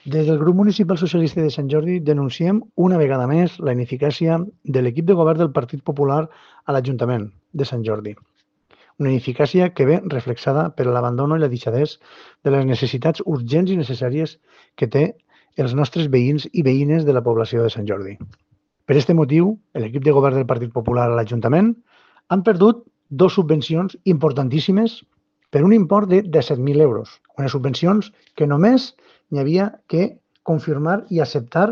Des del grup municipal socialista de Sant Jordi denunciem una vegada més la ineficàcia de l'equip de govern del Partit Popular a l'Ajuntament de Sant Jordi. Una ineficàcia que ve reflexada per l'abandono i la deixadesa de les necessitats urgents i necessàries que té els nostres veïns i veïnes de la població de Sant Jordi. Per aquest motiu, l'equip de govern del Partit Popular a l'Ajuntament han perdut dues subvencions importantíssimes per un import de 17.000 euros. Unes subvencions que només n'hi havia que confirmar i acceptar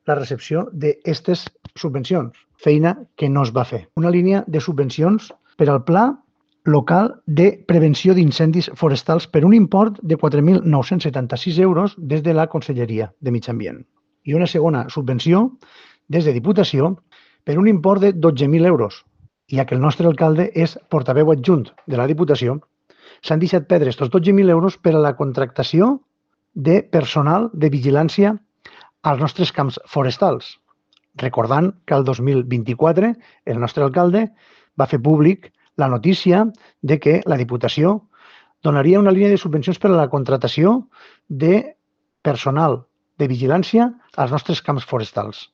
la recepció d'aquestes subvencions, feina que no es va fer. Una línia de subvencions per al Pla Local de Prevenció d'Incendis Forestals per un import de 4.976 euros des de la Conselleria de Mig Ambient. I una segona subvenció des de Diputació per un import de 12.000 euros. Ja que el nostre alcalde és portaveu adjunt de la Diputació, s'han deixat perdre aquests 12.000 euros per a la contractació de personal de vigilància als nostres camps forestals. Recordant que el 2024 el nostre alcalde va fer públic la notícia de que la Diputació donaria una línia de subvencions per a la contractació de personal de vigilància als nostres camps forestals.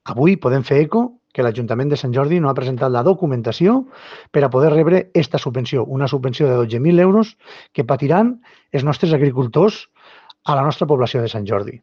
Avui podem fer eco que l'Ajuntament de Sant Jordi no ha presentat la documentació per a poder rebre aquesta subvenció, una subvenció de 12.000 euros que patiran els nostres agricultors a la nostra població de Sant Jordi.